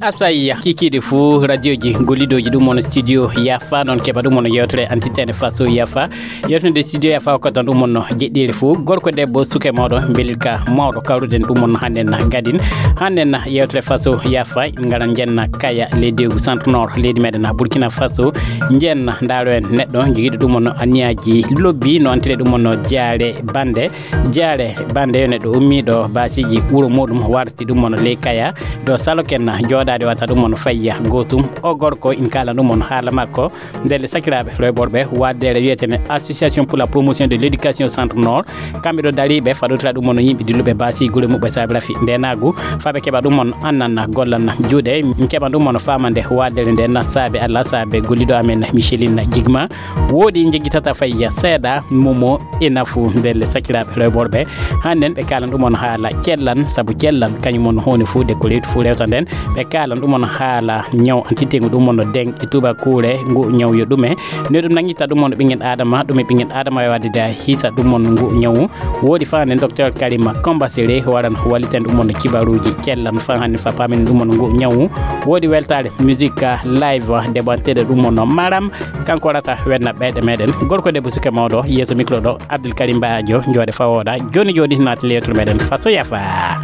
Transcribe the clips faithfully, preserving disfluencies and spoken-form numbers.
Asayya kikiiɗe fuu radioji gollidooji ɗum on studio Yafa, noon keɓa ɗum on yewtere antitene faso Yafa. Yewtere nde studio Yafa ko tan ɗum on jeɗɗiire fuu, gorko, debbo, suke, mawɗo, mbelirka mawɗo, kawruden ɗum on hannden gadin. Hannden yewtere faso Yafa, en ngaran njenna kaya leydi Centre Nord leydi meɗen Burkina Faso. Njenna ndaaro en neɗɗo jogiiɗo ɗum on anniyaji lobbi, no antire ɗum on Jaare Bande. Jaare Bande yo neɗɗo ummiiɗo baasiiji wuro muɗum, warti ɗum on ley kaya. Do salo ken jooɗaade wata ɗum on fayya gootum. O gorko in kaala ɗum on haala makko. Ndelle sakiraaɓe rewɓe worɓe, waddere wiyetene Association pour la promotion de l'éducation Centre Nord. Kamɓe ɗo dariiɓe faɗotira ɗum on yimɓe dilluɓe baasi gure muɓɓe saabi rafi ndenaagu. Faaɓe keɓa ɗum on annan gollan juuɗe. Min keɓan ɗum on faamande waddere nde na saabe Allah, saabe gollido amen Micheline Jigma. Woodi jeggi tata fayya seeɗa, momo e nafu ndelle sakiraaɓe rewɓe worɓe. Hannden ɓe kaalan ɗum on haala cellan, sabu cellan kañum on huunde fuu de ko rewti fuu rewta nden. Ɓe kaalan ɗum on haala ñaw antitengu ɗum on deng e tubakuure ngu ñaw yo ɗume. Ne ɗum nangitta ɗum on ɓingen Adama, ɗum e ɓingen Adama yo wadde da hisa ɗum on ngu ñaw. Woodi faanden Docteur Karima Kombasere waran walliten ɗum on kibaruuji cellan fa hannden fa paamin ɗum on ngu ñaw. Woodi weltaare musique live deɓanteɗo ɗum on Maram. Kanko rata wenna ɓeyɗe meɗen. Gorko debbo suke mawɗo, yeeso micro ɗo, Abdul Karim Bajo, jooɗe fawooɗa. Jooni jooni naati leytour meɗen faso Yafa.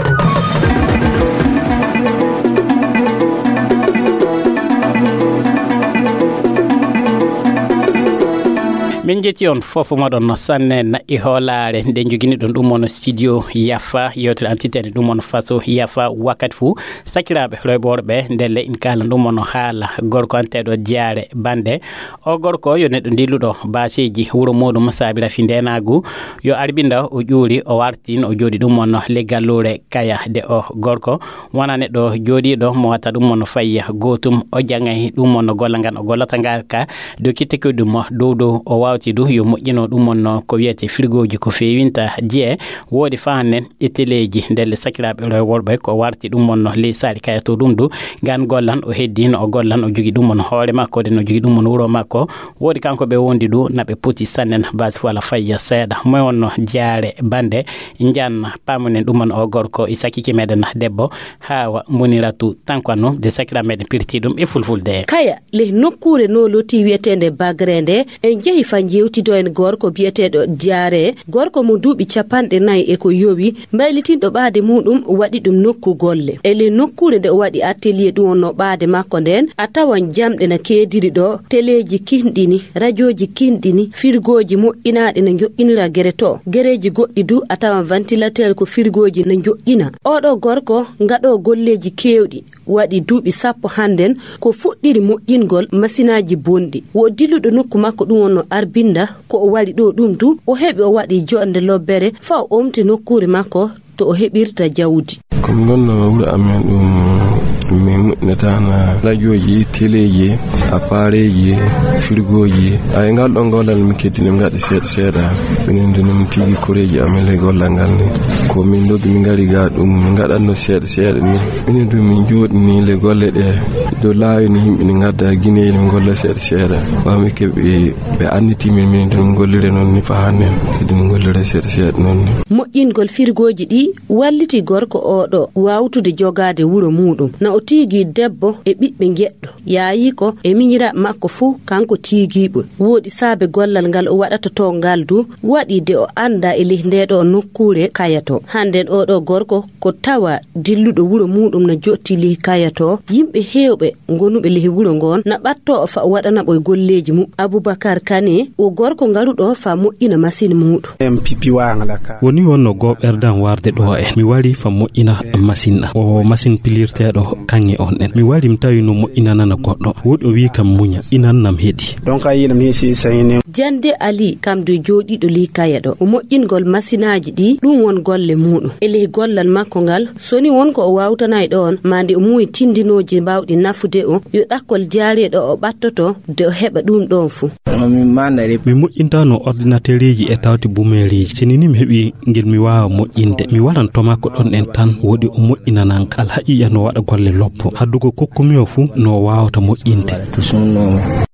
Min jetti on fof moɗon no sanne na'i hoolaare nde jogini ɗon ɗum on studio Yafa, yewtere antitene ɗum on faso Yafa wakkati fuu. Sakiraaɓe rewɓe worɓe, ndelle in kaalan ɗum on haala gorko anteeɗo Jaare Bande. O gorko yo neɗɗo dilluɗo baaseeji wuro muuɗum saabi rafi ndeenaagu. Yo arbinda o ƴuuri, o wartin, o jooɗi ɗum on le galluure kaya de o gorko. Wona neɗɗo jooɗiiɗo mo wata ɗum on fayya gootum. O jangay ɗum on golla ngan o gollata ngal ka doki tekki ɗum dow dow o wawti du yo moƴƴino ɗum on ko wiyete firgooji ko feewinta jiye. Woodi fahannen e teleeji ndelle sakiraaɓe rewɓe worɓe ko warti ɗum on ley saari kaya to ɗum du. Ngan gollan o heddi no o gollan o jogi ɗum on hoore makko de no jogi ɗum on wuro makko. Woodi kanko ɓe wondi du na ɓe poti sannen basi wala fayya seeɗa. Moy on no Jaare Bande. Njan pamunen ɗum on o gorko e sakiki meɗen debbo. Hawa Moniratu Tankwano de sakira meɗen pirti ɗum e fulfulde. Kaya le nokkuure no loti wiyeteende Bagre nde, en jehi fa jewtido en gorko biyeteeɗo Jaare, gorko mo duuɓi capanɗe nayi e ko yowi, mbaylitinɗo ɓaade muɗum waɗi ɗum nokku golle. E le nokkuure nde o waɗi atelier ɗum on no ɓaade makko nden, a tawan jamɗe na keediri ɗo, teleeji kinɗini, rajooji kinɗini, firgooji moƴƴinaaɗi na njoƴƴinira gere to. Gereeji goɗɗi du a tawan ventilateur ko firgooji na njoƴƴina. Oɗo gorko ngaɗo golleeji keewɗi, waɗi duuɓi sappo hannden ko fuɗɗiri moƴƴingol masinaaji bonɗi. Wo dilluɗo nokku makko ɗum on no arbinda ko o wari ɗo ɗum du, o heɓi o waɗi joɗnde lobbere fa o omti nokkuure makko to o heɓirta jawdi. Ko mi gonno wuro amen ɗum, min moƴƴinataana rajooji, teleeji, appareeji, firgooji. Ay, ngal ɗon gollal mi keddini, mi ngaɗi seeɗa seeɗa. Minen du min tigi koreeji amen le gollal ngal ni. Ko min doggi min ngari ga ɗum, min ngaɗanno seeɗa seeɗa ni. Minen du min jooɗini le golle ɗe. Do laawi ni yimɓe ni ngadda gineeli min golla seeɗa seeɗa. Wa mi keɓi ɓe anniti min, minen du min gollire noon ni fa hannen. Kadi min gollire seeɗa seeɗa noon ni. Moƴƴingol firgooji ɗi walliti gorko oɗo wawtude jogaade wuro muɗum. Na o tiigi debbo e ɓiɓɓe njeɗɗo. Yaayi ko e miñiraaɓe makko fuu kanko tiigiiɓe. Wooɗi saabe gollal ngal o waɗata to ngal du, waɗi de o annda e ley nde ɗo nokkuure kaya to. Hannden oɗo gorko ko tawa dilluɗo wuro muɗum na jotti ley kaya to. Yimɓe heewɓe gonuɓe ley wuro ngon na ɓatto o fa o waɗana ɓoy golleeji mu. Abubakar Kane o gorko ngaruɗo fa moƴƴina masin muɗum. Woni wonno goɓerdan warde ɗo en. Mi wari fa moƴƴina masin ɗan. O masin pilirteɗo kaŋŋe on ɗen. Mi wari mi tawi no moƴƴinanana goɗɗo. Woɗi o wi kam muña. Inan nam heɗi. Donc a yiɗi mi hisi sayini. Jande Ali kam du jooɗiiɗo ley kaya ɗo. O moƴƴingol masinaaji ɗi, ɗum won golle muɗum. E ley gollal makko ngal, so ni won ko o wawtanay ɗon, ma nde o muuyi tindinooji mbawɗi nafude o, yo ɗakkol jaariiɗo o ɓattoto, de o heɓa ɗum ɗon fu. Mi moƴƴintano ordinatereeji e tawti bumeereeji. Sini ni mi heɓi ngel mi waawa moƴƴinde. Mi waran to makko ɗon en tan, woɗi o moƴƴinanan kal haqiiqa no waɗa golle lobbo. Haddugo kokkumi o fu no o waawata moƴƴinde.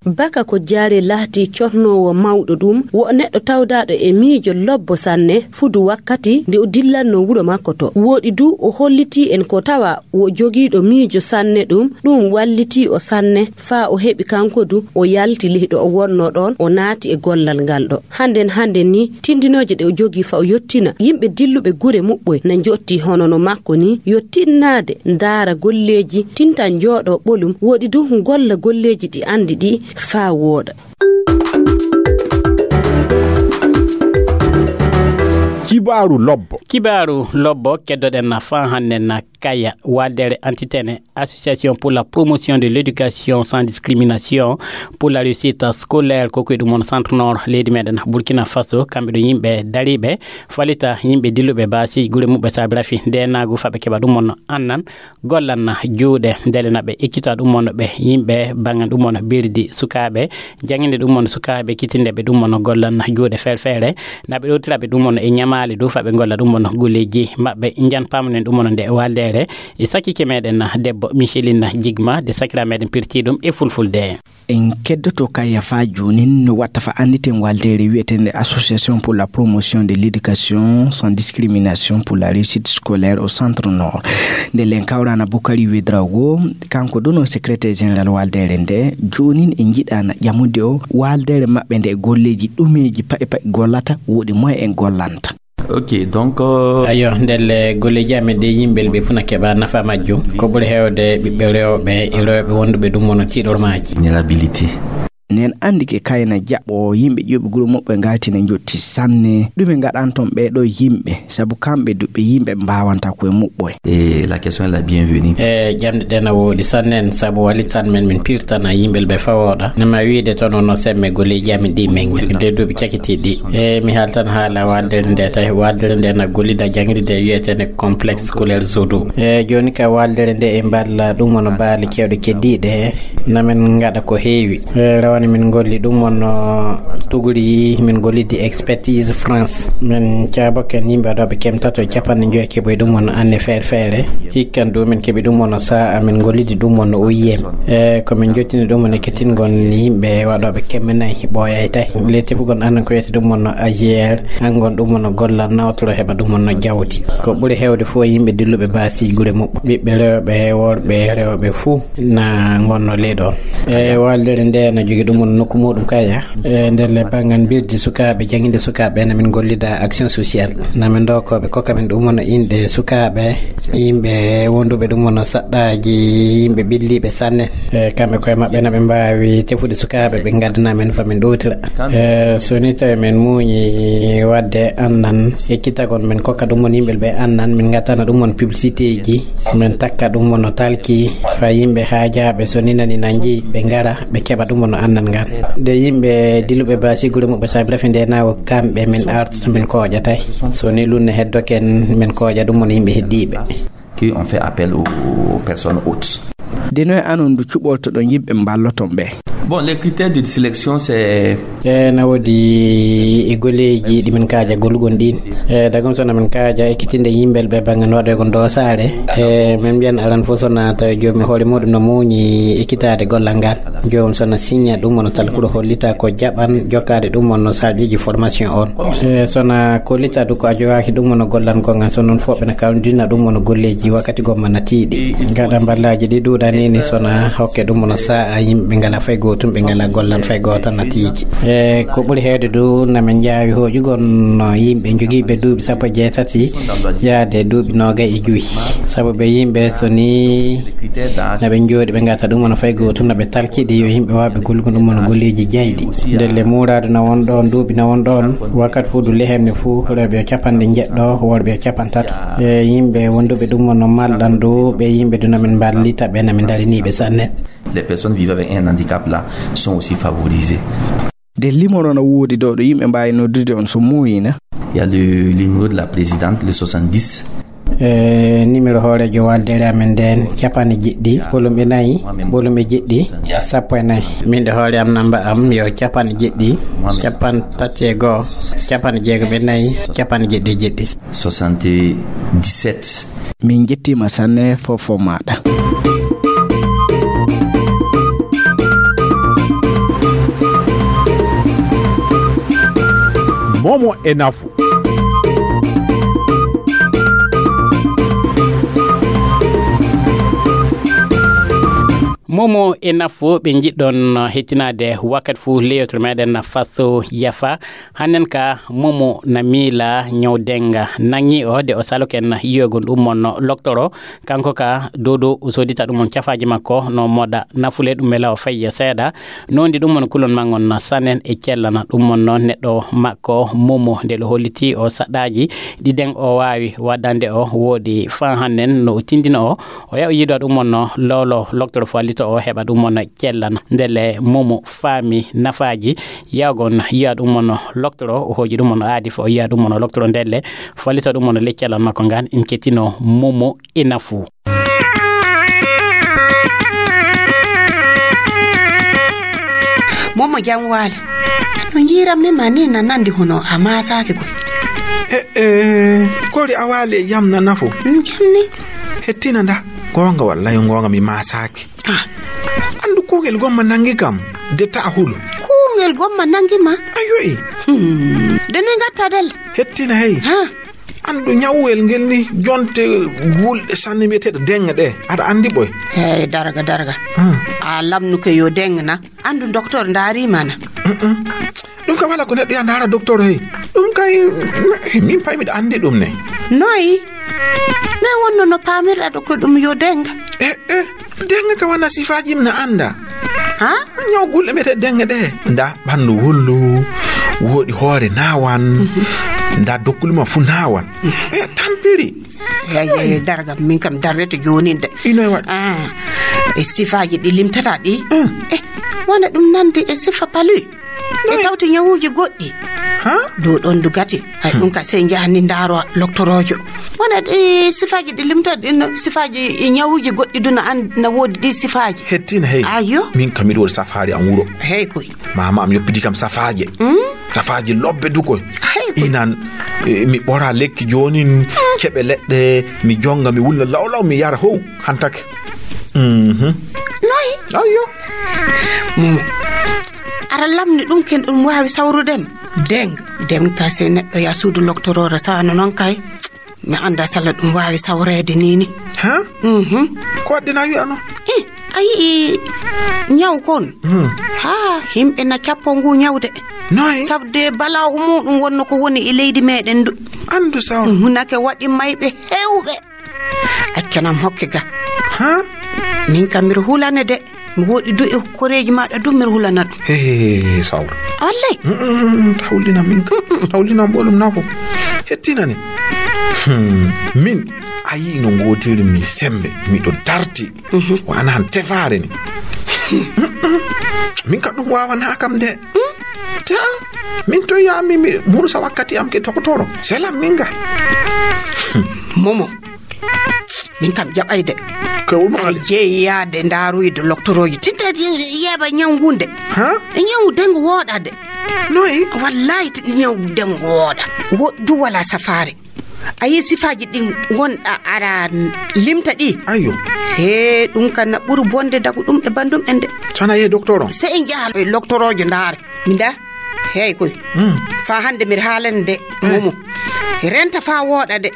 Baka ko jaare lahti cotnoowo mawɗo ɗum, wo neɗɗo tawdaaɗo e miijo lobbo sanne, fudu wakkati nde o dillanno wuro makko to. Wooɗi du o hollitii en ko tawa wo jogiiɗo miijo sanne ɗum, ɗum wallitii o sanne, faa o heɓi kanko du, o yalti ley ɗo o wonnoo ɗoon, o naati e gollal ngal ɗo. Hannden hannden ni, tindinooje ɗe o jogii faa o yottina, yimɓe dilluɓe gure muɓɓoy na njotti hono no makko ni, yo tinnaade, ndaara golleeji, tinta njooɗoo ɓolum, wooɗi du golla golleeji ɗi anndi ɗi faa wooɗa. Kibaaru lobbo. Kibaaru lobbo keddoɗen na faa hannden na Kaya, waldere Antitene, Association pour la promotion de l'éducation sans discrimination pour la réussite scolaire, ko koye ɗum on Centre Nord leydi meɗen Burkina Faso, kamɓe ɗo yimɓe dariiɓe falita yimɓe dilluɓe baasi gure muɓɓe saabi rafi nde naagu faɓe keɓa ɗum on annan gollan juuɗe ndele na ɓe ekkita ɗum on ɓe yimɓe bangan ɗum on birdi sukaaɓe janginde ɗum on sukaaɓe kitinde ɓe ɗum on gollan juuɗe ferfere na ɓe ɗowtira ɓe ɗum on e ñamaali du faɓe golla ɗum on golleji maɓɓe. Njan pamunen ɗum on nde waldere e sakkike meɗen debbo Micheline Jigma de sakira meɗen pirti ɗum e fulfulde. En keddoto Kaya faa joonin no watta faa annditen waldere wi'eteende Association pour la promotion de l'éducation sans discrimination pour la réussite scolaire au Centre Nord. Nde len kawrana Bukari Wedrago, kanko duno secrétaire général waldere nde, joonin e njiɗana ƴamude o waldere maɓɓe nde golleji ɗumeji paɗi paɗi gollata, woɗi moye en gollanta. Ok, donc euh, ayo ndelle golleji amen ɗe yimɓe ɓe funa keɓa nafa majjum ko ɓuri hewde ɓiɓɓe rewɓe e rewɓe wonduɓe ɗum wono tiɗormaji. Vulnérabilité. Nen andi ke kayna jaɓo yimɓe ƴuɓi guru muɓɓe ngaltina jotti sanne ɗume ngaɗanton ɓeɗo yimɓe sabu kamɓe duɓe yimɓe mbawanta koye muɓɓoye. Et la question est la bienvenue. E jamɗe ɗe na woɗi sannen sabu walitan men min pirtana yimɓe ɓe fawoɗa nama wiide toon ono semme golleji amin ɗi min de duuɓi cakitiɗi. E mi haaltan haala waddere nde tawi waddere nde na gollida jangride wiyetene complexe scolaire Zodo. E joni ka waddere nde e mballa ɗum wono baali kewɗe keddiɗe he namin ngaɗa ko heewi. E rawane min golli ɗum wono tuguri min gollidi expertise France min caaboken yimɓe ɗo ɓe kemtato e capanɗe joyi keɓoy ɗum wono anne feere feere. Hikkan du min keɓi ɗum wono sa'a min gollidi ɗum wono O I M. E ko min jottini ɗum wono kettingol yimɓe waɗoɓe kemme nayi ɓooyay tawi le tefugol anan ko wiyete ɗum wono A G R. Hangon ɗum wono gollal nawtoro heɓa ɗum wono jawdi ko ɓuri hewde fof yimɓe dilluɓe baasi gure muɓɓo ɓiɓɓe rewɓe worɓe rewɓe fuu na gonno ley ɗon. E waldere nde na jogi ɗum wono nokku muɗum kaya. E nder le bangan birdi sukaɓe janginde sukaɓe na min gollida action sociale na min dokoɓe kokka min ɗum wono inɗe sukaɓe yimɓe wonduɓe ɗum wono saɗɗaji yimɓe ɓilliɓe sanne. E kamɓe koye maɓɓe na ɓe mbawi tefude sukaɓe ɓe gaddana men fa min ɗowtira. E so ni tawi min muuñi wadde annan ekkitagol min kokka ɗum won yimɓe ɓe annan min gaddana ɗum won publicité ji min takka ɗum wono talki fa yimɓe haajaɓe so ni nani nanji ɓe gara ɓe keɓa ɗum wono annan ngal. Nde yimɓe diluɓe basi gure muɓɓe saabi rafi nde nawo kamɓe min artata min koƴatay so ni lunne heddoken min koƴa ɗum wono yimɓe heddiɓe. Qui ont fait appel aux personnes hautes. Deno e anon ndu cuɓoltoɗon yimɓe mballoton ɓe. Bon, les critères de sélection c'est e na woodi e goleji ɗi min kaaja gollugon ɗin. E dagam sona min kaaja ekkitinde yimɓel ɓe bangan waɗoygon dosare. E min mbiyan aran fof sona tawi jomi hoore muɗum no muuñi ekkitade gollal ngal. Joom sona signa ɗum wono talkuɗo hollita ko jaɓan jokkade ɗum wonno sarɗiji formation on. E sona kollita du ko a jogaki ɗum wono gollangol ngal so noon fof ɓena kawdina ɗum wono golleji wakkati gomma natiɗi gaɗa mballaji ɗi ɗuɗanini sona hokke ɗum wono sa'a yimɓe ɓe ngala fay gotum ɓe ngala gollan fay gota natiji. E ko ɓuri hewde du namin jaawi hoƴugol no yimɓe jogiɓe duuɓi sappo e jeetati yaade duuɓi nogay e joyi. Sabu ɓe yimɓe so ni naɓe jooɗi ɓe gata ɗum wono fay gotum naɓe talkiɗi yo yimɓe wawɓe gollugo ɗum wono golleji jayɗi. Ndelle muradu na won ɗon duuɓi na won ɗon wakkat fuu du lehemne fuu rewɓe o capanɗe jeɗɗo worɓe o capantato. E yimɓe wonduɓe ɗum wono malɗan du ɓe yimɓe du namin mballita ɓe namin dariniɓe sanne. Les personnes vivant avec un handicap là sont aussi favorisées. Nde limoro no woodi ɗo ɗo yimɓe mbaawi noddude on so muuyina. Il y a le numéro de la présidente, le soixante-dix. E numéro hoorejo waldere amen nden capanɗe jeɗɗi ɓolum e nayi ɓolum e jeɗɗi sappo e nayi. Min ɗo hoore am namba am yo capanɗe jeɗɗi capanɗe tati e goo capanɗe jeegom e nayi capanɗe jeɗɗi e jeɗɗi. Soixante-dix-sept. Min njettiima sanne fofo maaɗa. Momo e Nafu. Momo e Nafu, ɓe njiɗɗon hettinaade wakkati fuu leyotor meɗen Faso Yafa. Hannen ka Momo na miila ñaw denga nangi o de o saloken yiyogon ɗum mon loktoro. Kanko ka dodo o sodita ɗum mon cafaaji makko no moɗa nafule ɗum e law fayya seeɗa. Nondi ɗum mon kulon mangon sanen e cellana ɗum mon noon neɗɗo makko Momo nde lo holliti o saɗɗaaji ɗi den o waawi waddande o woodi fan hannen no o tindino o. O yaw yiido ɗum mon no lolo loktoro fallito o heɓa ɗum mon cellana. Ndelle Momo faami nafaaji yawgon yiya ɗum mon loktoro o hooji ɗum mon aadi fo o yiya ɗum mon loktoro ndelle fallito ɗum mon le cellana makko ngan in kettino Momo e Nafu. Momo jam waale. No njiiran mi ma ni na nandi hono a maasaaki ko. E, e, kori a waale e jam na Nafu. Mm, jam ni. Hettina nda. Goonga wallahi goonga mi maasaaki. Ah. Andu kuungel gomma nangi kam. De ta hulu. Kuungel gomma nangi ma? Ayo e. Hmm. De ne ngatta del. Hettina hey. Ha. Andu ñawwel ngel ni jonte gulɗe sanne mbiyeteeɗo deŋŋe ɗe. Aɗa anndi ɓoy? Hey, darga, darga. Hmm. A lamnuke yo deŋŋe na. Andu docteur ndaari mana. Mm-mm. Ɗum ka wala ko neɗɗo ya ndaara docteur hey. Ɗum kay, min pay miɗa anndi ɗum ne. Noy? Noy wonno no paamirɗa ɗo ko ɗum yo deŋŋe? Eh, eh, deŋŋe ka wana sifaaji mi na annda. Ha? Ñaw gulɗe mbiyetee deŋŋe ɗe. Nda ɓanndu wullu, woodi hoore naawan, nda dokkuli ma fu naawan. E tampiri. Eyi, eyi, darga, min kam darrete joonin de. Ino e waɗi. Ah, e sifaaji ɗi limtata ɗi. Mm. Eh, wona ɗum nandi e sifa palu. E tawti ñawuuji goɗɗi. Ha? Dow ɗon du gati. Hay ɗum ka sey njahani ndaaro loktoroojo. Wona ɗi sifaaji ɗi limta ɗin sifaaji e ñawuuji goɗɗi du na an na woodi ɗi sifaaji. Hettina hey. Ayo. Min kam miɗo waɗi safaari am wuro. Hey koy. Mama am yoppidi kam safaaje. Hmm? Safaaje lobbe du koy. Hey koy. Inan, eh, mi ɓora lekki joonin, keɓe leɗɗe, mi jonga, mi wulna lawlaw, mi yara how, hantake. Mhm. Noy? Ayo. Momo. Ara lamni ɗum ken ɗum waawi sawrude ma. Deng, deng ka sey neɗɗo ya suudu loktoroore sano noon kay. Mi annda sala ɗum waawi sawreede ni ni. Ha? Mhm. Ko waɗde na wi'ano? Eh, a yi'i ñaw kon? Hmm. Ha, himɓe na cappo ngu ñawde. Noy? Sabde bala'u muɗum wonno ko woni e leydi meɗen du. Andu saw. Hunake waɗi mayɓe hewɓe. Accanam hokke ga. Ha? Min kam mbiɗo hulane de. Mi woɗi du e koreeji maɗa du mbiɗo hulana ɗum. He, he, he, he, sawra. Wallay. Mm, mm, mm, mm, tawlina min ka. Mm, mm, tawlina mboɗum nafo. Hettinani. Hmm, min, a yii no ngootiri mi sembe. Miɗo darti. Mhm. Ko ana han tefaare ni. Mm, mm. Min ka ɗum wawana kam de. Mm. Ta, min to yami mi murusa wakkati am ke tokotoro. Selam min ga. Momo. Min kam jaɓayde. Ko woni aɗa jeeyi yaade ndaaruyde loktorooji tinta yeeba ñaw ngunde. Ha? E ñaw dengo wooɗade. Noy? Wallahi ti ñaw dengo wooɗa. Wo du wala safaare. A yi sifaaji ɗin wonɗa ara limta ɗi. Ayo. He ɗum kan na ɓuru bonde dagu ɗum e bandum en de. Sona ye docteur on. Se en jaha e loktoroojo ndaare. Minda. Hey koy. Mm. Fa hande mir haalande de. Eh. Momo. Renta fa wooɗa de.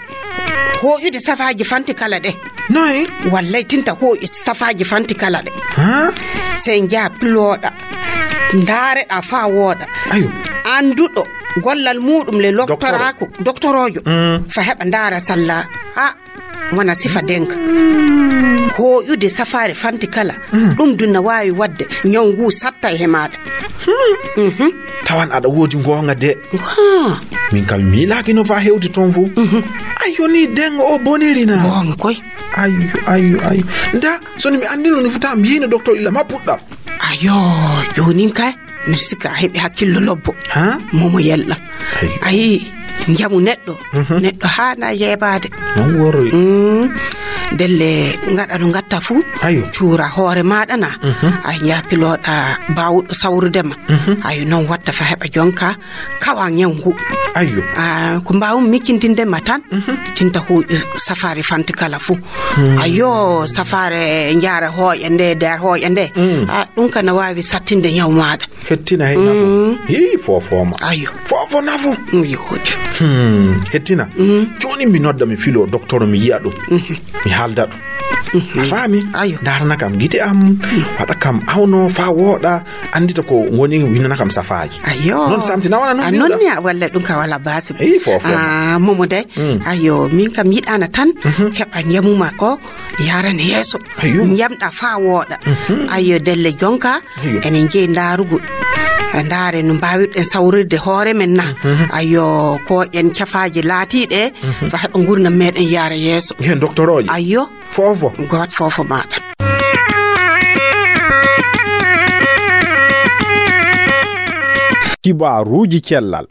Hooƴude safaaji fanti kala de. Noy? Wallay tinta hooƴi safaaji fanti kala de. Ha? Sey njaa pilooɗa. Ndaareɗa fa wooɗa. Ayo. Anduɗo gollal muɗum le loktoraaku, doktoroojo. Mm. Fa heɓa ndaara salla. Ha. Wona sifa denka. Hooƴude safaare fanti kala. Mm. Ɗum dun na waawi waɗde ñaw ngu satta e maaɗa. Hmm. Mhm. Tawan aɗa woodi ngoonga de. Ha. Min kam miilaaki no fa hewti toon fof. Mhm. Ayo ni dengo o boniri na. Ngoonga koy. Ayo, ayo, ayo. Nda, so mi anndino no fota mbiyino docteur illa ma puɗɗam. Ayo, joonin kay. Miɗo sikka a heɓi hakkillo lobbo. Ha? Momo yelɗa. Ayi. Ayi, njamu neɗɗo. Mhm. Neɗɗo haana yeebaade. Noon worri. Mm. Ndelle ngaɗa no ngatta fuu. Ayo. Cuura hoore maaɗa na. Mhm. Ay njaha pilooɗa baawɗo sawrude ma. Mhm. Ayo noon watta fa heɓa jonka kawa ñaw ngu. Ayo. Ah, ko mbaawum miccintinde ma tan. Mhm. Tinta hooƴu safaari fanti kala fuu. Hmm. Ayo, safaare njaara hooƴa nde, nder hooƴa nde. Mm. Ah, ɗum ka na waawi sattinde ñaw maaɗa. Hettina hay nafu. Mm. Hii, fofoma. Ayo. Fo Ofo nafo. Yo. Hmm. Hettina. Jooni mi nodda, mi filo doktoro, mi yi'a ɗum. Mi haalda ɗum. A faami? Ayo. Ndarana kam gite am, waɗa kam awno fa wooɗa, anndita ko woni, winana kam safaaji. Ayo. Non samti na wala non a non ni a walla ɗum ka wala basi. Eyi, fofo. Ah, momo day. Ayo, min kam yiɗana tan, keɓa njamuma o, yarana yeeso. Ayo. Njamɗa fa wooɗa. Ayo, delle jonka, enen jeyi ndaarugol. Ndaare no mbaawirɗen sawrirde hoore men na. Ayo, ko en cafaaji laatiiɗe, fa heɓa ngurnam meɗen yaara yeeso. Hen doktorooje. Ayo. Fofo. Goot fofo maɗa. Kibaruuji cellal.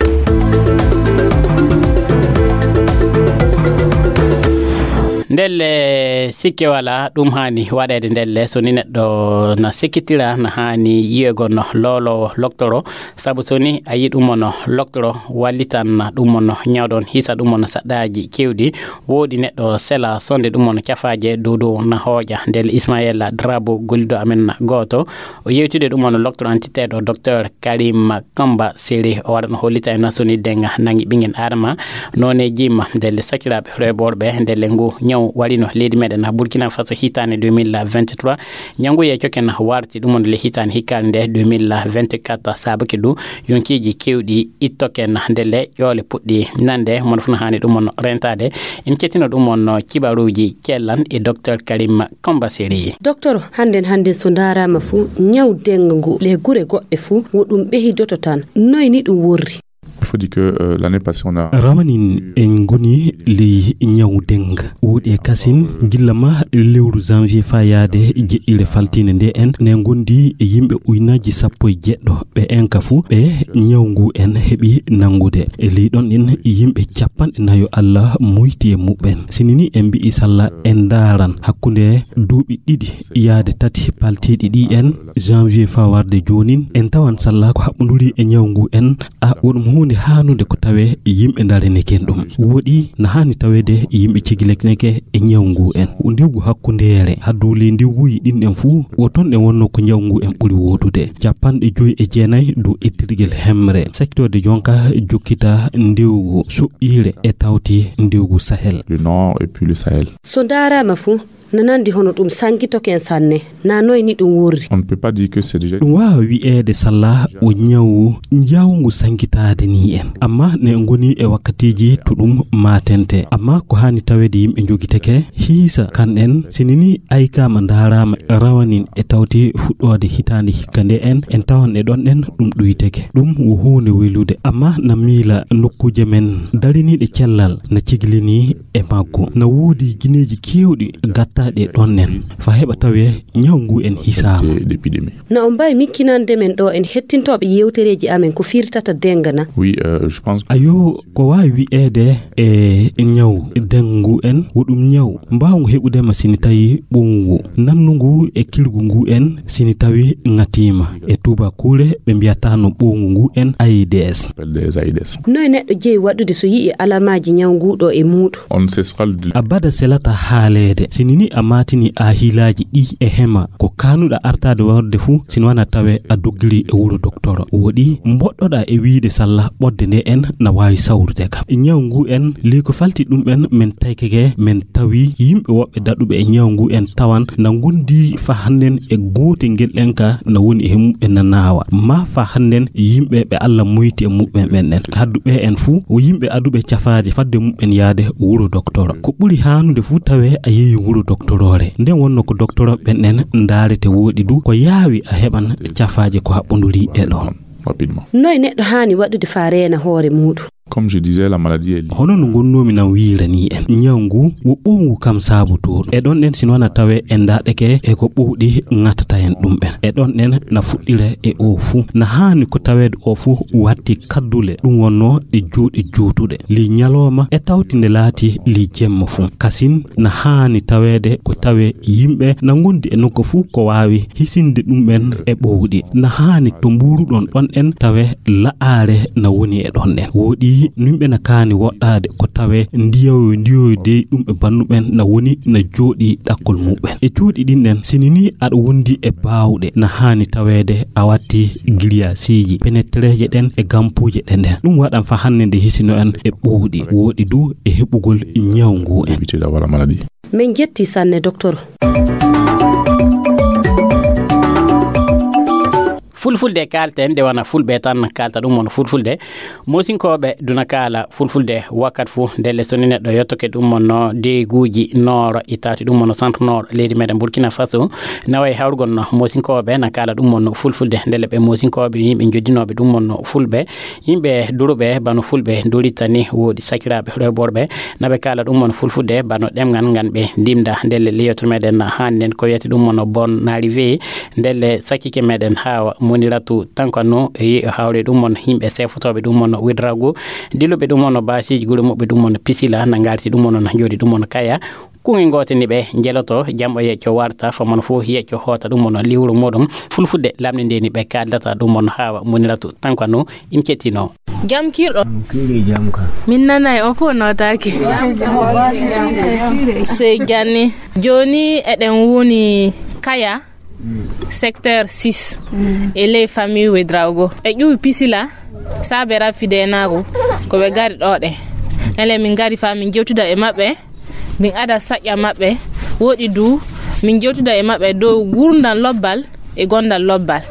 Ndelle sikke wala ɗum haani waɗeede ndelle, so ni neɗɗo na sikkitira na haani yi'egol no looloowo loktoro, sabu so ni a yi ɗum ono loktoro wallitan ɗum ono ñawɗon hisa ɗum ono saɗɗaaji kewɗi, woodi neɗɗo sela sonde ɗum ono cafaaje dow dow na hooƴa. Ndelle Ismaila Drabo gollido amen na gooto o yewtide ɗum ono loktoro antiteeɗo docteur Karim Kamba Seri, o waɗa no hollita en na so ni denga nangi ɓingen adama none jimma. Ndelle sakiraaɓe reeɓorɓe, ndelle ngu ñaw warino leydi meɗen na Burkina Faso hitande deux mille vingt-trois, ñaw ngu yeecoke na warti ɗum on le hitande hikkaande nde deux mille vingt-quatre, saabaki du yonkiiji kewɗi ittoke na ndelle ƴoole puɗɗi nande mono funa haani ɗum on rentade. En cettino ɗum on kibaruuji cellan e docteur Karim Kamba Seri. Docteur, hannden hannden so ndaaraama fuu, ñaw denga ngu le gure goɗɗe fuu, wo ɗum ɓehidoto tan. Noy ni ɗum worri? Il faut dire que, euh, l'année passée, on a Rawanin en ngoni ley ñaw denga. Wuuɗi e kasin, gilla ma lewru janvier faa yaade jeɗɗire faltiinde nde en, ne ngondi e yimɓe uynaaji sappo e jeɗɗo. Ɓe en ka fuu, ɓe ñaw ngu en heɓi nanngude. E ley ɗon ɗin yimɓe capanɗe nayo Allah muyti e muɓɓen. Sinini en mbi'i salla en ndaaran hakkunde duuɓi ɗiɗi yaade tati paltiiɗi ɗi en, janvier faa warde joonin, en tawan salla ko haɓɓunduri e ñaw ngu en, a woɗum huunde haanude ko tawe yimɓe ndareneken ɗum. Woɗi na haani taweede yimɓe cigilekineke e ñaw ngu en. Ndiwgu hakkundeere, hadduli ndiwguuji ɗin ɗen fuu, wo ton ɗen wonno ko ñaw ngu en ɓuri woodude. Capanɗe joyi e jeenayi dow ettirgel hemre. Secteur de jonka jokkita ndiwgu soɓɓiire e tawti ndiwgu Sahel. Le Nord et puis le Sahel. So ndaaraama fuu, na nandi hono ɗum sankitoken sanne, na noy ni ɗum worri? On ne peut pas dire que c'est déjà Ɗum waawa wi'eede salla o ñawu njawngu sankitaade ni en. Amma ne ngoni e wakkatiiji to ɗum maatente. Amma ko haani taweede yimɓe njogiteke, hiisa kan en, sinini aykaama ndaaraama rawanin e tawti fuɗɗoode hitaande hikka nde en, en tawan e ɗon en ɗum ɗuyteke. Ɗum wo huunde welude. Amma na miila nokkuuje men dariniiɗe cellal na ciglini e maggu. Na woodi gineeji keewɗi gattaaɗi e ɗon en. Fa heɓa tawee ñaw ngu en hisaama. D'épidémie. Na on mbaawi mikkinande men ɗo en hettintooɓe yewtereeji amen ko firtata denga na? Oui, euh, je pense que Ayo, ko waawi wi'eede e ñaw dengu en, wo ɗum ñaw mbaawngu heɓude ma sini tawi ɓowngu, nannungu e kilgu ngu en sini tawi ŋatiima. E tuubakuure ɓe mbiyata no ɓowngu ngu en aides. Appelle des aides. Noy neɗɗo jeyi waɗude so yi'i alamaaji ñaw ngu ɗo e muuɗo? On cessera de Abada selata haaleede. Sinini a maatini a hiilaaji ɗi e hema, ko kaanuɗa artaade warde fuu, sino wana tawe a doggiri e wuro doktoro. Woɗi mboɗɗoɗa e wiide salla ɓodde nde en na waawi sawrude kam. Ñaw ngu en, ley ko falti ɗum en, men taykeke, men tawi yimɓe woɓɓe daɗuɓe e ñaw ngu en tawan na ngondi fa hannden e goote ngel ɗen ka na woni e muɓɓen na naawa. Ma fa hannden yimɓe ɓe Alla muyti e muɓɓen ɓen ɗen. Hadduɓe en fuu, o yimɓe aduɓe cafaaje fadde muɓɓen yaade wuro doktoro. Ko ɓuri haanude fuu tawe a yehi wuro doktoroore. Nden wonno ko doktoro ɓen ɗen ndaarete woɗi du, ko yaawi a heɓan cafaaje ko haɓɓunduri e ɗon. Rapidement. Noy neɗɗo haani waɗude faa reena hoore muuɗum? Comme je disais, la maladie est liée. Hono no ngonnoomi nan wiirani en, ñaw ngu wo ɓowngu kam saabotooɗo. E ɗon ɗen, si noon a tawee en ndaɗeke e ko ɓowɗi ŋatata en ɗum ɓen. E ɗon ɗen na fuɗɗira e o fuu. Na haani ko taweede o fuu watti kaddule, ɗum wonnoo ɗe juuɗe juutuɗe. Ley ñalooma e tawti nde laati ley jemma fuu. Kasin na haani taweede ko tawee yimɓe na ngondi e nokku fuu ko waawi hisinde ɗum ɓen e ɓowɗi. Na haani to mbuuruɗon ɗon ɗen tawee la'aare na woni e ɗon ɗen. Woɗi Yimɓe na kaani woɗɗaade ko tawee ndiyoyo ndiyoyo dey ɗum e bannuɓen na woni na jooɗi ɗakkol muɓɓen. E cuuɗi ɗin ɗen, sini ni aɗa wondi e baawɗe, na haani taweede a watti giliyaasiiji, penetreeje ɗen e gampuuje ɗen ɗen. Ɗum waɗan fa hannde nde hisino en e ɓowɗi, wooɗi du e heɓugol ñaw ngu en. Min jetti sanne, doktor. Fulfulde kaalten, nde wona fulɓe tan kaalta ɗum wona fulfulde. Moosinkooɓe duna kaala fulfulde wakkat fu, ndelle so ni neɗɗo yottoke ɗum wonno deeguuji nooro itawti ɗum wonno centre nooro leydi meɗen Burkina Faso, nawa e hawrugol no moosinkooɓe na kaala ɗum wonno fulfulde, ndelle ɓe moosinkooɓe yimɓe joddinooɓe ɗum wonno fulɓe, yimɓe duruɓe bano fulɓe duritani, woodi sakiraaɓe rewɓe worɓe, na ɓe kaala ɗum wonno fulfulde bano ɗemngal ngal ɓe ndimda, ndelle le yewtere meɗen haani nden ko wiyete ɗum wonno bon arrivé, ndelle sakkike meɗen Hawa Moniratu Tankano e hawre ɗum wonno yimɓe sefotooɓe ɗum wonno Ouédraogo, dilluɓe ɗum wonno baasiiji gure muɓɓe ɗum wonno Pisila, na ngarti ɗum wonno na jooɗi ɗum wonno Kaya. Kuŋe goote ni ɓe jeloto, jamɓo yecco warta, famano fof yecco hoota ɗum wonno liwru muɗum. Fulfulde lamnde nde ni ɓe kaaldata ɗum wonno Hawa Moniratu Tankano in kettino. Jam kirɗo? Kiiri jam ka. Min nanay on fof nootaaki. Sey janni. Jooni eɗen woni Kaya, secteur six, e ley famille Ouédraogo. E ƴuwi Pisila, saabe rafideenaago, ko ɓe ngari ɗo ɗe. Nele min ngari fa min jewtida e maɓɓe, min ada saƴƴa maɓɓe, woɗi du, min jewtida e maɓɓe dow gurdam lobbal e gondal lobbal.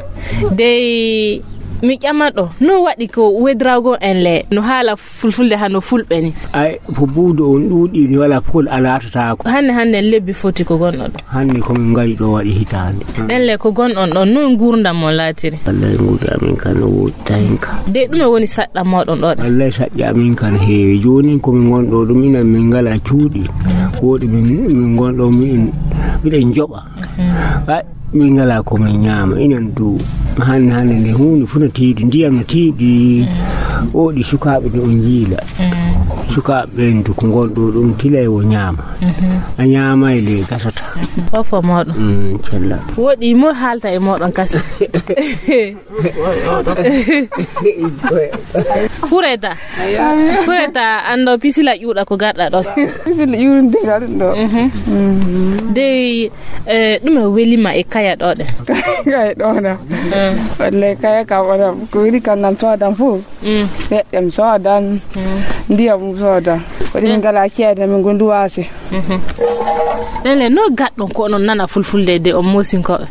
Dey mi ƴamanɗo, no waɗi ko Ouédraogo en le, no haala fulfulde hano fulɓe ni? Ay, ko buudo on ɗuuɗi ni wala pol a laatataako. Hannde, hannde lebbi foti ko gonɗo ɗo? Hannde ko min ngari ɗo waɗi hitaande. Ɗen le ko gonɗon ɗon, no gurdam mon laatiri? Wallay gurdam amin kan no woodi tahinka. De ɗume woni saɗɗa moɗon ɗo ɗen? Wallay saɗɗa amin kan heewi. Jooni ko min ngonɗo ɗum ina min ngala cuuɗi. Woodi min, min ngonɗo min, miɗen joɓa. Ay, min ngala ko min ñaama, inen du hannde, hannde nde huunde fof no tiiɗi, ndiyam no tiiɗi, oɗi sukaaɓe no on njiila. Sukaaɓe ɓen du ko ngonɗo ɗum tila e o ñaama. A ñaama e le gasata. Fof fof moɗon. Mm, cella. Woɗi mo haalta e moɗon kasi. Fureta. Fureta, anndo Pisila ƴuuɗa ko garɗa ɗo. Pisila ƴuuɗa ko garɗa ɗo. Mhm. Mm. Dey, eh, ɗume welima e Kaya ɗo ɗe? Kaya ɗo na. Mm. Wallahi Kaya kam wona ko weli kan nan soodan fof. Mm. Leɗɗe mi soodan. Mm. Ndiyam mi soodan. Waɗi min ngala ceede min gondi waasi. Mhm. Ɗen le, no gaɗɗon ko onon nana fulfulde de on moosinkoɓe?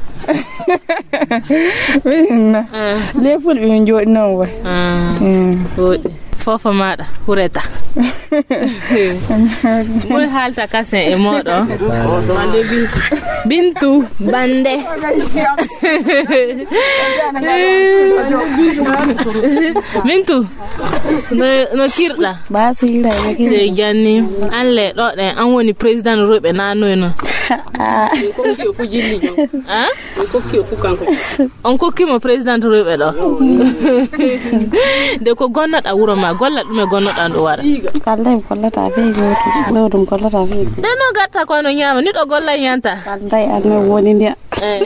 Min na. Ah. Le fulɓe min jooɗi noon way. Ah. Mm. Woɗi. Fofo maɗa, hureta. Moy haalta kasen e moɗo? Bintu, bande. Bintu, no, no kirɗa? Basira, no kirɗa. Sey janni, an le ɗo ɗen, an woni président rewɓe na noy non? Ah. Ah? Mi kokki o fof kanko. On kokki mo président rewɓe ɗo. De ko gonnoɗa wuro ma, golla ɗume gonnoɗa ndu wara. Kalday mi kollata fii gooto. Ɗo ɗum kollata fii. De no gatta ko no ñaama, ni ɗo golla ñanta. Kalday an no woni ndiya. Eh.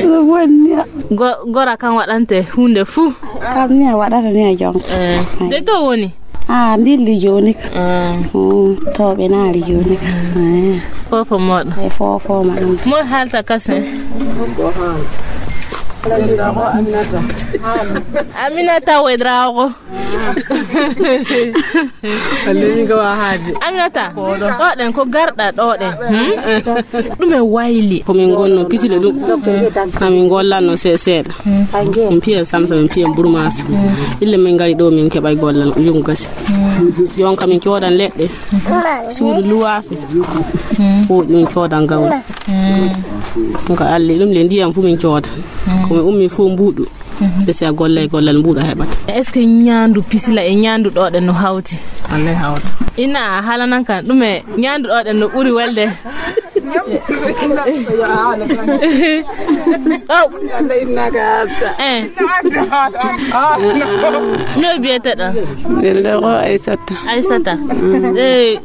No woni ndiya. Go-, gora kan waɗante hunde fuu. Kam ni a waɗata ni a jonka. Eh. De to woni? Ah, ndilli jooni ka. Ah. Mm, to ɓe naali jooni ka. Eh. Fofo moɗo. E fofo ma am. Mo haalta kasen. Aminata Ouédraogo. Wallay min ko wa haaji. Aminata, ɗo ɗen ko garɗa ɗo ɗen. Hmm? Ɗume wayli? Ko min gonno pisile ɗum. Amin gollanno se-, seeɗa. Min piyen samsa, min piyen burmasa. Ille min ngari ɗo min keɓay gollal, yongu gasi. Jonka min coodan leɗɗe. Suudu luwaase. Ko ɗum coodan gawri. Ɗum ko alli ɗum le ndiyam fu min cooda. Ko min ummi fu mbuuɗu. Ɓe si a gollay gollal mbuuɗu a heɓata. Est-ce que ñaandu pisila e ñaandu ɗo ɗen no hawti? Wallay hawta. Ina a haalanan kan ɗume ñaandu ɗo ɗen no ɓuri welde? Oh. Eh. No biyeteɗa? Welde ko Aysata. Aysata. Eh,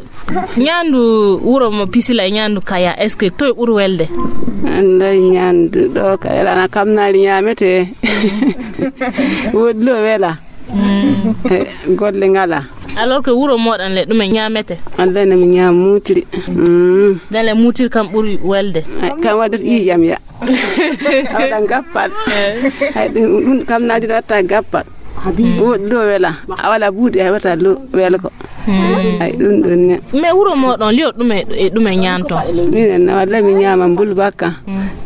Ñaandu wuro mo Pisila e ñaandu Kaya, est-ce que toye ɓuri welde? Annday ñaandu ɗo Kaya, ana kamnaali ñaamete. Woɗɗi ɗo wela. Eh, golle ngala. Alors que wuro moɗon le ɗume ñaamete? Annday no mi ñaama muutiri. Mm. Dale muutiri kam ɓuri welde. Ay, kam wadde ƴiƴam ya. A waɗa gappal. Ay, ɗum, ɗum kam naadi watta gappal. Woɗɗi ɗo wela. A wala buuɗi, ay, wata lo wela ko. Ay, ɗum ɗum ne. Mais wuro moɗon liyo ɗume, e ɗume ñaanto? Minen na walla mi ñaama mbulbakka.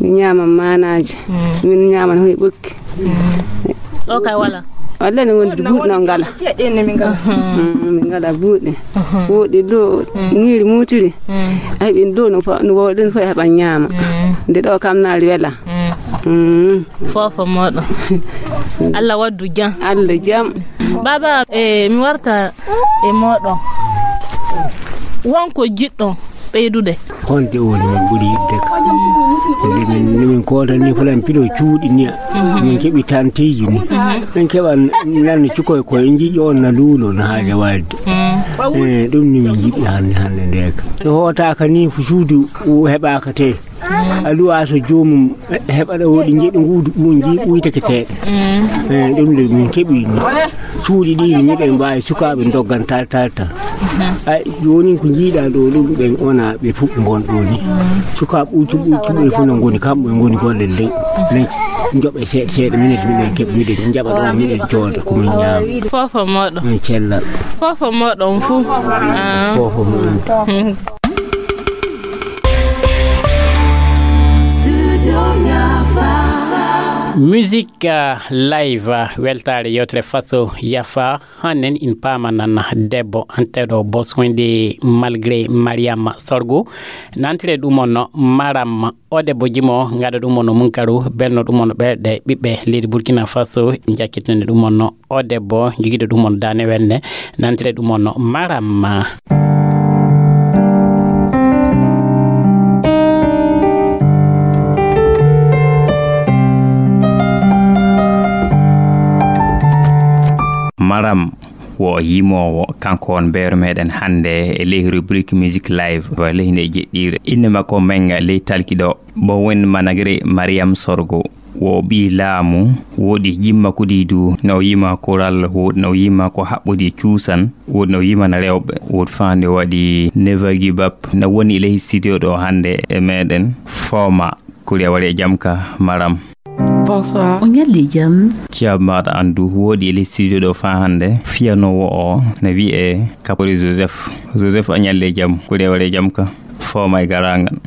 Mi ñaama maanaaji. Min ñaama hoy ɓokki. Ɗo kay wala. Walla ne wondi buuɗi no ngala. Min ngala buuɗi. Woɗɗi ɗo, ñiiri muutiri. Ay, ɓin ɗo no fa-, no wawɗen fof heɓa ñaama. Nde ɗo kam naali wela. Fofo moɗon. Allah waddu jam. Allah jam. Baba, e mi warta e moɗon. Wonko jiɗɗon ɓeydude? Honde woni min ɓuri yiɗde ka? Nde min, nde min kootani fulan pilo cuuɗi ni, min keɓi tanteeji ni. Min keɓa nan cukoy koye njiƴo on na luulo no haaja waɗde. Eh, ɗum ni min njiɗi hannde, hannde nde ka. No hootaaka ni fu suudu heɓaaka te. A luwa so joomum heɓa ɗo woɗi njeɗi nguudu ɓuuji ɓuyteke seeɗa. Eh, ɗum de min keɓi ni. Cuuɗi ɗi ni miɗen mbaawi sukaaɓe ndoggan tal, tal, tal. Ay, jooni ko njiiɗa ɗo ɗum ɓen ona ɓe fuɗ ngon ɗo ni. Sukaaɓe ɓuytu ɓuytu ɓe fof no ngoni kamɓe ngoni golle ley. Ley njoɓe seeɗa seeɗa minen miɗen keɓ miɗen njaɓa ɗo miɗen cooda ko min ñaama. Fofo moɗon. Eh, cellal. Fofo moɗon fuu. Ah. Fofo moɗon. Musique, euh, live, euh, weltaare yewtere Faso Yafa. Hannen in paamanan debbo anteɗo bosonde malgré Mariam Sorgo. Nantire ɗum on Maram. O debbo jimo, ngaɗa ɗum on Munkaru, belno ɗum on ɓerɗe ɓiɓɓe leydi Burkina Faso, jakkitande ɗum on o debbo jogiiɗo ɗum on daane wenne, nantire ɗum on Maram. Maram wo yimoowo, kanko on mbeero meɗen hannde e ley rubrique Musique Live, ley nde jeɗɗiire. Innde makko Menga ley talki ɗo. Bowen Managre Mariam Sorgo. Wo ɓii laamu, woodi jimma kuɗi du, no yima kural, woodi no yima ko haɓɓodi cuusan, woodi no yimana rewɓe, woodi faande waɗi Never Give Up, no woni ley studio ɗo hannde e meɗen, Foma, kuri a waɗi e jam ka, Maram. Bonsoir. O ñalli jam. Ciyab maɗa andu, woodi ley studio ɗo fa hannde, fiyanoowo o, no wi'e Kapori Joseph. Joseph, a ñalli jam, kuri a waɗi e jam ka. Foma e garangal.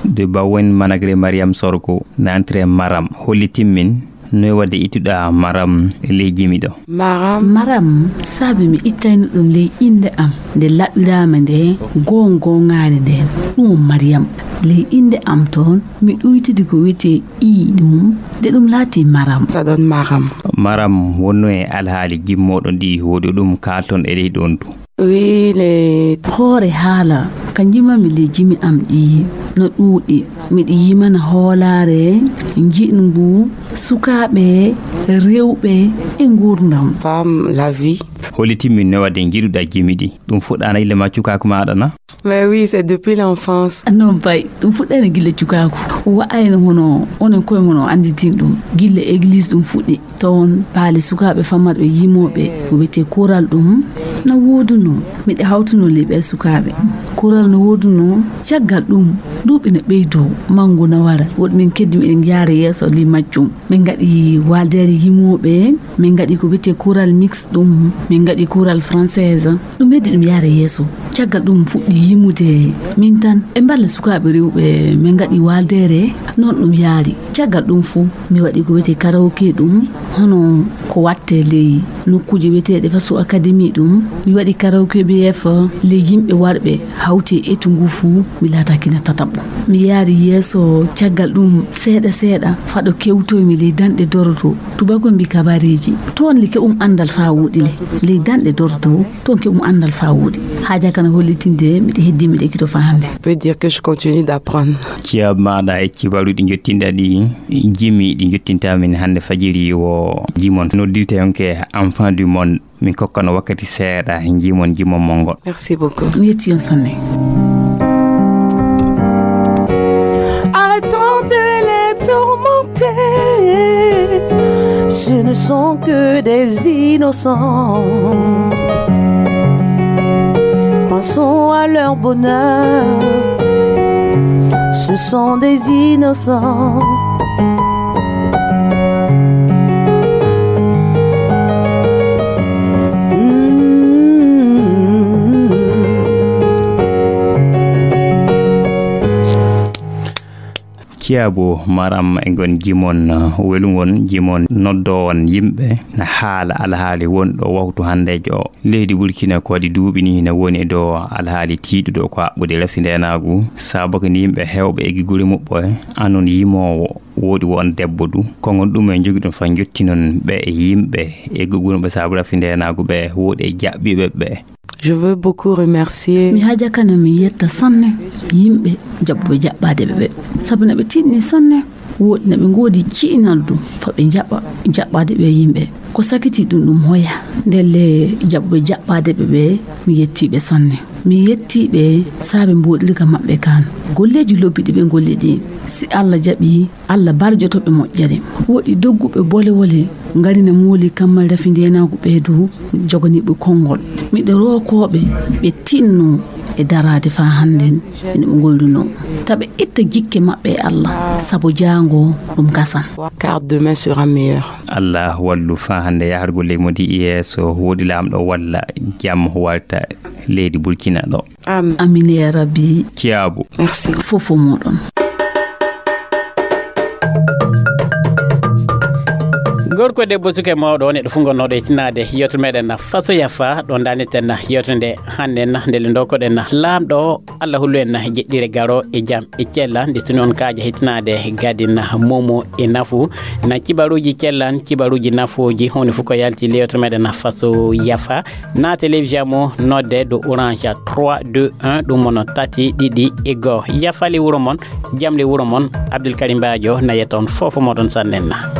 De Bawen Managre Mariam Sorgo, na entre Maram, hollitin min, noy wadde ittuɗa Maram e ley jimi ɗo? Maram. Maram, saabi mi ittayno ɗum ley innde am, nde laɓɓiraama nde, goongoŋaare nden. Ɗum on Mariam. Ley innde am toon, mi ɗuytidi ko wiyetee i ɗum, de ɗum laati Maram. Ça donne Maram. Maram, wonno e alhaali jimmooɗo ndi, woodi ɗum kaalton e ley ɗon du. Wi le. Hoore haala, ka njimami ley jimi am ɗi, no ɗuuɗi. Miɗi yimana hoolaare, njiɗngu, sukaaɓe, rewɓe, e nguurndam. Femme, la vie. Hollitin min no wadde njiɗuɗa jimi ɗi? Ɗum fuɗɗaana ille ma cukaaku maaɗa na? Mais oui, c'est depuis l'enfance. Non, bay, ɗum fuɗɗaani gilla cukaaku. Wa'ayno hono, onon koye mon on annditin ɗum. Gilla église ɗum fuɗɗi. Toon paali sukaaɓe fammarɓe yimooɓe ko wiyetee koral ɗum na woodunoo. Miɗo hawtunoo ley ɓee sukaaɓe. Koral no woodunoo, caggal ɗum duuɓi no ɓeydoo, manngu no wara. Woɗɗi min keddi miɗen yaara yeeso ley majjum. Min ngaɗi waaldeere yimooɓe, min ngaɗi ko wiyetee koral mix ɗum, min ngaɗi koral française. Ɗum heddi ɗum yaara yeeso. Caggal ɗum fuɗɗi yimude min tan. E mballa sukaaɓe rewɓe, min ngaɗi waaldeere, noon ɗum yaari. Caggal ɗum fuu, mi waɗi ko wiyetee karaoke ɗum, hono ko waɗtee ley nokkuuje wiyeteeɗe Faso Academy ɗum. Mi waɗi karaoke B F ley yimɓe warɓe hawti e etu ngu fuu, mi laataaki na tataɓɓo. Mi yaari yeeso caggal ɗum seeɗa seeɗa, fado kewtoymi ley danɗe Doroto. Tubako mbi kabareeji. Toon le keɓum anndal faa wooɗi le. Ley danɗe Doroto, toon keɓum anndal faa wooɗi. Haaja kana hollitinde, miɗo heddi, miɗo ekkito faa hannde. Peut dire que je continue d'apprendre. Ciyab maɗa e cibaruɗi jottinɗa ɗi, jimi ɗi jottinta min hannde fajiri wo jimon. Noddirte yonke enfant du monde. Min kokkano wakkati seeɗa, jimon jimon mon ngol. Merci beaucoup. Mi yetti on sanne. Arrêtons de les tourmenter. Ce ne sont que des innocents. Pensons à leur bonheur. Ce sont des innocents. Ciyaabu maram e ngon jimon, welungol jimon, noddoowon yimɓe na haala alhaali wonɗo waktu hanndeejo o. Leydi Burkina ko waɗi duuɓi ni ne woni e dow alhaali tiiɗuɗo ko haɓɓude rafi ndeenaagu, sabu ko ni yimɓe heewɓe e giguri muɓɓo e anon yimoowo woodi won debbo du. Ko ngon ɗum en jogiɗon fa jottinon ɓe e yimɓe e gugurɓe sabu rafi ndeenaagu ɓe woodi e jaɓɓiiɓe ɓe. Je veux beaucoup remercier. Mi hajakana mi yetta sanne yimɓe jaɓɓuɓe jaɓɓaadeɓe ɓe. Sabu na ɓe tiɗni sanne. Woɗi na ɓe ngoodi ci'inal du fa ɓe jaɓa jaɓɓaade ɓe yimɓe. Ko sakiti ɗum ɗum hoya. Ndelle jaɓɓuɓe jaɓɓaadeɓe ɓe, mi yettiiɓe sanne. Mi yettiiɓe saabe mboɗirga maɓɓe kan. Golleeji lobbi ɗi ɓe ngolli ɗi, si Allah jaɓi, Allah barjoto ɓe moƴƴere. Woɗi dogguɓe bole wole ngari na mooli kammal rafi ndeenaagu ɓe du, joganiiɓe konngol. Miɗo rookooɓe ɓe tinno e daraade faa hannden ene ɓe ngollunoo. Ta ɓe itta jikke maɓɓe e Allah, sabu jaango ɗum gasan. Car demain sera meilleur. Allah wallu faa hannde yahargol ley modi yeeso, woodi laamɗo walla jam walta leydi Burkina ɗo. Amin. Amin ya Rabbi. Ciyaabu. Merci. Fofo moɗon. Gorko, debbo, suka e mawɗo, on e ɗo fof ngonnooɗo e tinaade yewtere meɗen Faso Yafa, ɗo ndaaneten yewtere nde hannde, nde le ndokkoɗen laamɗo o, Allah hullu en jeɗɗire garo e jam e cella, nde tuni on kaaja hettinaade gadin momo e nafu, na kibaruuji cellan, kibaruuji nafuuji, huunde fof ko yalti le yewtere meɗen Faso Yafa. Na télévision mo nodde ɗo Orange trois deux un, ɗum mono tati ɗiɗi e goo. Yafali wuro mon, jam le wuro mon, Abdul Karim Bajo na yetta on fofo moɗon sannenna.